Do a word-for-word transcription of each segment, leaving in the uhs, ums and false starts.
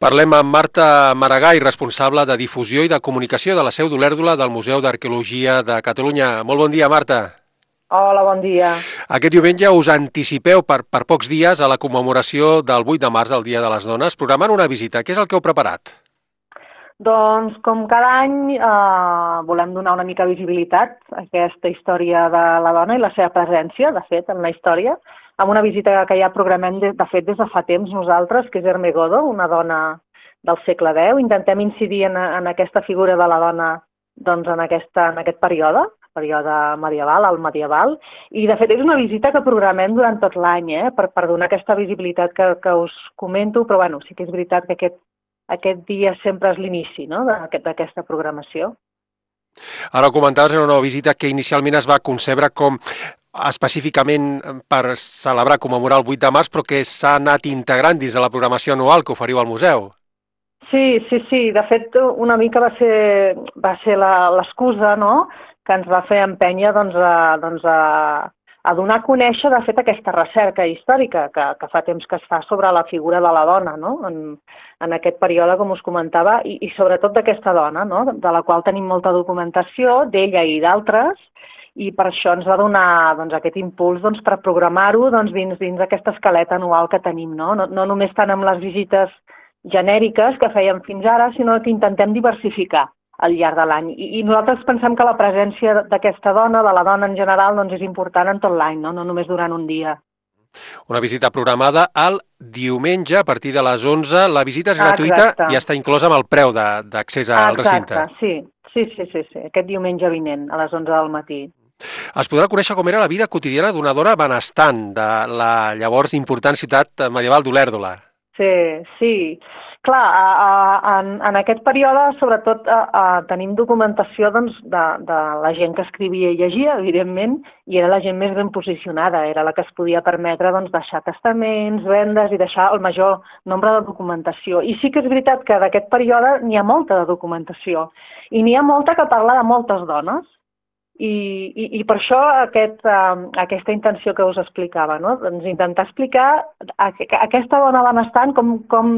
Parlem amb Marta Maragall, responsable de difusió i de comunicació de la Seu d'Olèrdola del Museu d'Arqueologia de Catalunya. Molt bon dia, Marta. Hola, bon dia. Aquest diumenge us anticipeu per, per pocs dies a la commemoració del vuit de març, el Dia de les Dones, programant una visita. Què és el que heu preparat? Doncs, com cada any, eh, volem donar una mica visibilitat a aquesta història de la dona i la seva presència, de fet, en la història, amb una visita que ja programem, de, de fet, des de fa temps nosaltres, que és Ermegodo, una dona del segle deu. Intentem incidir en, en aquesta figura de la dona doncs, en, aquesta, en aquest període, període medieval, el medieval, i de fet és una visita que programem durant tot l'any, eh, per, per donar aquesta visibilitat que, que us comento, però bueno, sí que és veritat que aquest, aquest dia sempre és l'inici, no?, d'aquesta programació. Ara ho comentaves, era una visita que inicialment es va concebre com específicament per celebrar, commemorar el vuit de març, però que s'ha anat integrant dins de la programació anual que oferiu al museu. Sí, sí, sí. De fet, una mica va ser, va ser l'excusa, no?, que ens va fer empènyer doncs, a, doncs, a, a donar a conèixer, de fet, aquesta recerca històrica que, que fa temps que es fa sobre la figura de la dona, no?, en, en aquest període, com us comentava, i, i sobretot d'aquesta dona, no?, de la qual tenim molta documentació, d'ella i d'altres, i per això ens va donar doncs, aquest impuls doncs, per programar-ho doncs, dins, dins aquesta escaleta anual que tenim, no? No, no només tant amb les visites genèriques que fèiem fins ara, sinó que intentem diversificar al llarg de l'any. I, I nosaltres pensem que la presència d'aquesta dona, de la dona en general, doncs, és important en tot l'any, no? No només durant un dia. Una visita programada el diumenge a partir de les onze. La visita és gratuïta. Exacte. I està inclosa amb el preu d'accés al recinte. Exacte, sí. Sí, sí, sí, sí. Aquest diumenge vinent, a les onze del matí. Es podrà conèixer com era la vida quotidiana d'una dona benestant de la llavors important ciutat medieval d'Olèrdola. Sí, sí. Clar, a, a, en, en aquest període, sobretot, a, a, tenim documentació doncs, de, de la gent que escrivia i llegia, evidentment, i era la gent més ben posicionada, era la que es podia permetre doncs, deixar testaments, vendes i deixar el major nombre de documentació. I sí que és veritat que d'aquest període n'hi ha molta de documentació, i n'hi ha molta que parla de moltes dones. I, i, i per això aquest, uh, aquesta intenció que us explicava, no? Doncs intentar explicar a, a aquesta dona benestant com, com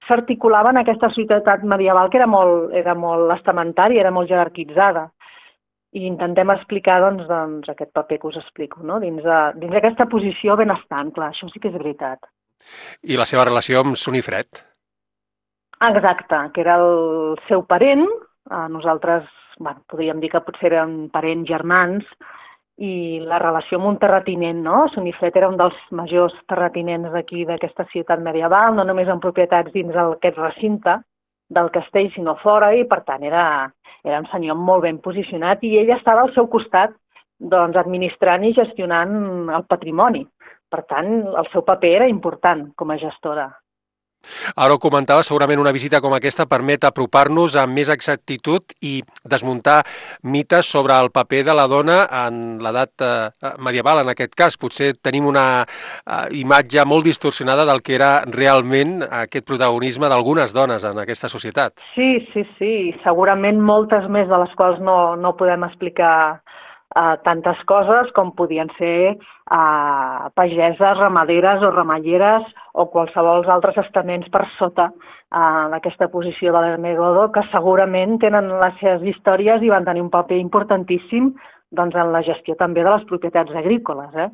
s'articulava en aquesta societat medieval que era molt, era molt estamentària, era molt jerarquitzada. I intentem explicar doncs, doncs, aquest paper que us explico, no? Dins, de, dins d'aquesta posició benestant, clar, això sí que és veritat. I la seva relació amb Sunifred? Exacte, que era el seu parent, uh, nosaltres bueno, podríem dir que potser eren parents germans, i la relació amb un terratinent, no? Sunifred era un dels majors terratinents d'aquí, d'aquesta ciutat medieval, no només amb propietats dins aquest recinte del castell, sinó fora, i per tant era, era un senyor molt ben posicionat, i ella estava al seu costat, doncs, administrant i gestionant el patrimoni. Per tant, el seu paper era important com a gestora. Ara ho comentava, segurament una visita com aquesta permet apropar-nos amb més exactitud i desmuntar mites sobre el paper de la dona en l'edat eh, medieval, en aquest cas. Potser tenim una eh, imatge molt distorsionada del que era realment aquest protagonisme d'algunes dones en aquesta societat. Sí, sí, sí. Segurament moltes més de les quals no, no podem explicar Uh, tantes coses com podien ser uh, pageses, ramaderes o ramalleres o qualsevol altres estaments per sota uh, d'aquesta posició de l'Ermegodo, que segurament tenen les seves històries i van tenir un paper importantíssim doncs, en la gestió també de les propietats agrícoles, eh?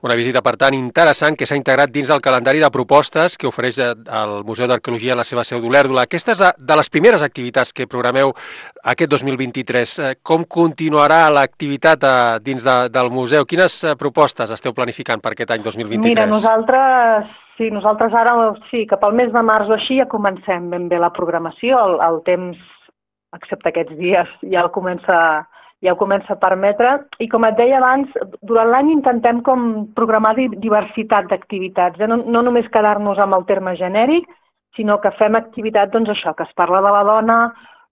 Una visita, per tant, interessant que s'ha integrat dins del calendari de propostes que ofereix el Museu d'Arqueologia a la seva seu d'Olèrdola. Aquesta és de les primeres activitats que programeu aquest dos mil vint-i-tres. Com continuarà l'activitat dins de, del museu? Quines propostes esteu planificant per aquest any dos mil vint-i-tres? Mira, nosaltres, sí, nosaltres ara, sí, cap al mes de març o així ja comencem ben bé la programació. El, el temps, excepte aquests dies, ja el comença ja ho comença a permetre, i com et deia abans, durant l'any intentem com programar diversitat d'activitats, eh? no, no només quedar-nos amb el terme genèric, sinó que fem activitat, doncs això, que es parla de la dona,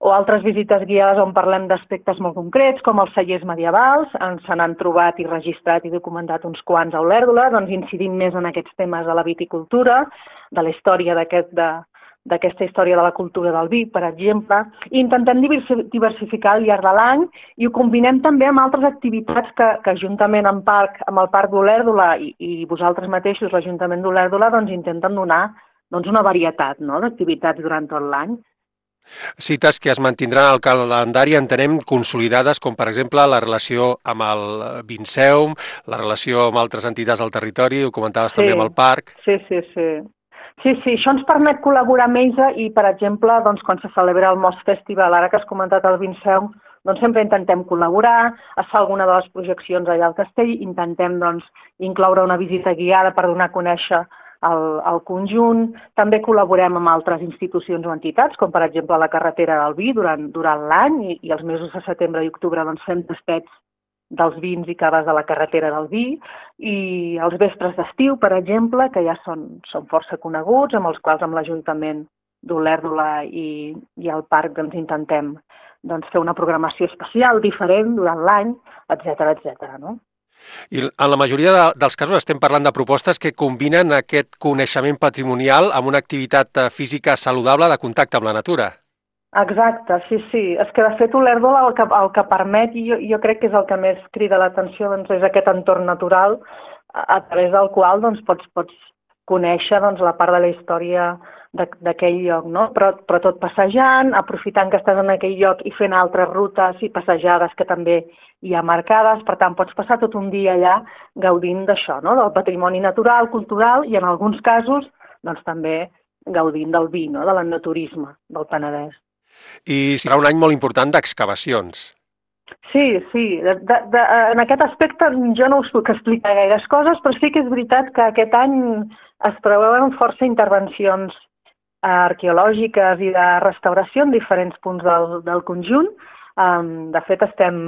o altres visites guiades on parlem d'aspectes molt concrets, com els cellers medievals, se n'han trobat i registrat i documentat uns quants a Olèrdola, doncs incidim més en aquests temes de la viticultura, de la història d'aquest de d'aquesta història de la cultura del vi, per exemple, i intentem diversificar al llarg de l'any i ho combinem també amb altres activitats que, que juntament amb, parc, amb el Parc d'Olèrdola i, i vosaltres mateixos, l'Ajuntament d'Olèrdola, doncs intenten donar doncs una varietat, no?, d'activitats durant tot l'any. Cites que es mantindran al calendari, entenem, consolidades, com per exemple la relació amb el Vinceum, la relació amb altres entitats del territori, ho comentaves Sí, també amb el parc. sí, sí, sí. Sí, sí, això ens permet col·laborar amb ells i, per exemple, doncs, quan se celebra el Most Festival, ara que has comentat el Vinceum, doncs sempre intentem col·laborar, es fa alguna de les projeccions allà al castell, intentem doncs, incloure una visita guiada per donar a conèixer el, el conjunt. També col·laborem amb altres institucions o entitats, com per exemple la carretera del vi durant, durant l'any i, i els mesos de setembre i octubre doncs, fem tastets dels vins i caves de la carretera del vi, i els vespres d'estiu, per exemple, que ja són, són força coneguts, amb els quals amb l'Ajuntament d'Olèrdola i, i el parc doncs, intentem doncs, fer una programació especial, diferent, durant l'any, etcètera, etcètera, no? I en la majoria de, dels casos estem parlant de propostes que combinen aquest coneixement patrimonial amb una activitat física saludable de contacte amb la natura. Exacte, sí, sí. És que, de fet, Olèrdola el que, el que permet, i jo, jo crec que és el que més crida l'atenció, doncs, és aquest entorn natural a, a través del qual doncs, pots, pots conèixer doncs, la part de la història d'aquell lloc, no? Però, però tot passejant, aprofitant que estàs en aquell lloc i fent altres rutes i passejades que també hi ha marcades, per tant, pots passar tot un dia allà gaudint d'això, no?, del patrimoni natural, cultural i, en alguns casos, doncs, també gaudint del vi, no?, de l'enoturisme del Penedès. I serà un any molt important d'excavacions. Sí, sí. De, de, de, en aquest aspecte jo no us puc explicar gaires coses, però sí que és veritat que aquest any es preveuen força intervencions arqueològiques i de restauració en diferents punts del, del conjunt. Um, de fet, estem,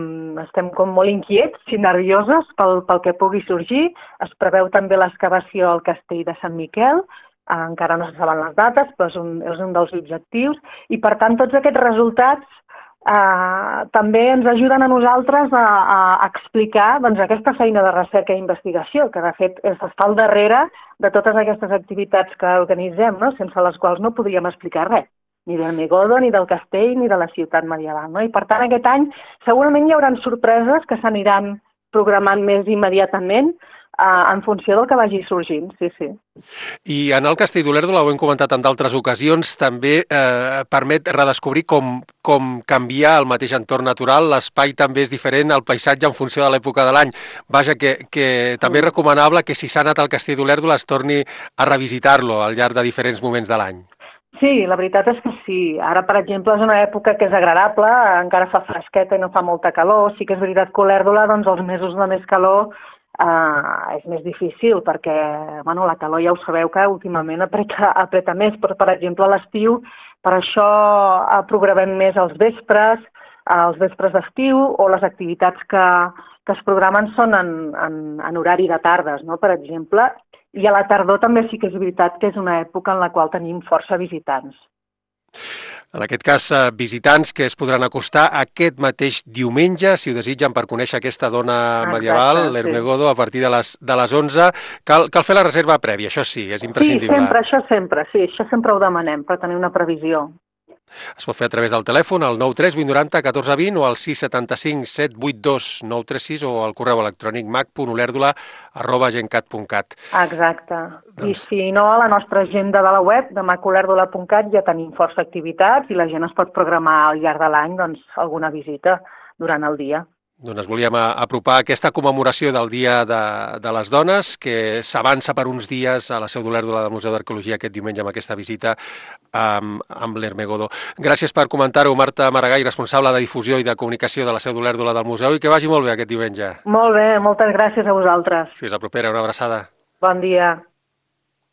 estem com molt inquiets i nervioses pel, pel que pugui sorgir. Es preveu també l'excavació al castell de Sant Miquel, uh, encara no se saben les dates, però és un, és un dels objectius, i per tant tots aquests resultats Uh, també ens ajuden a nosaltres a, a explicar doncs, aquesta feina de recerca i investigació, que de fet està al darrere de totes aquestes activitats que organitzem, no?, sense les quals no podríem explicar res, ni del Megodo, ni del castell, ni de la ciutat medieval, no? I per tant aquest any segurament hi haurà sorpreses que s'aniran programant més immediatament Uh, en funció del que vagi sorgint, sí, sí. I en el Castell d'Olèrdola, ho hem comentat en d'altres ocasions, també eh, permet redescobrir com, com canvia el mateix entorn natural, l'espai també és diferent, el paisatge en funció de l'època de l'any. Vaja, que, que també és recomanable que si s'ha anat al Castell d'Olèrdola es torni a revisitar-lo al llarg de diferents moments de l'any. Sí, la veritat és que sí. Ara, per exemple, és una època que és agradable, encara fa fresqueta i no fa molta calor. Sí que és veritat que Olèrdola, doncs, els mesos de més calor Uh, és més difícil perquè bueno, la calor ja ho sabeu que últimament apreta, apreta més, però per exemple a l'estiu per això uh, programem més els vespres, uh, els vespres d'estiu, o les activitats que, que es programen són en, en, en horari de tardes, no? Per exemple, i a la tardor també sí que és veritat que és una època en la qual tenim força visitants. En aquest cas, visitants que es podran acostar aquest mateix diumenge, si ho desitgen, per conèixer aquesta dona medieval, l'Hermegodo, sí, a partir de les, de les onze. Cal, cal fer la reserva prèvia, això sí, és imprescindible. Sí, sempre, això sempre, sí, això sempre ho demanem, per tenir una previsió. Es pot fer a través del telèfon, al nou tres vuit noranta catorze vint o al sis setanta cinc set vuit dos nou tres sis o al correu electrònic mac punt olèrdola arroba gencat punt cat. Exacte. Doncs... I si no, a la nostra agenda de la web de mac olèrdola punt cat ja tenim força activitats i la gent es pot programar al llarg de l'any doncs, alguna visita durant el dia. Doncs volíem apropar aquesta commemoració del Dia de, de les Dones, que s'avança per uns dies a la Seu d'Olèrdola del Museu d'Arqueologia aquest diumenge amb aquesta visita amb, amb l'Hermegodo. Gràcies per comentar-ho, Marta Maragall, responsable de difusió i de comunicació de la Seu d'Olèrdola del Museu, i que vagi molt bé aquest diumenge. Molt bé, moltes gràcies a vosaltres. Fins la propera, una abraçada. Bon dia.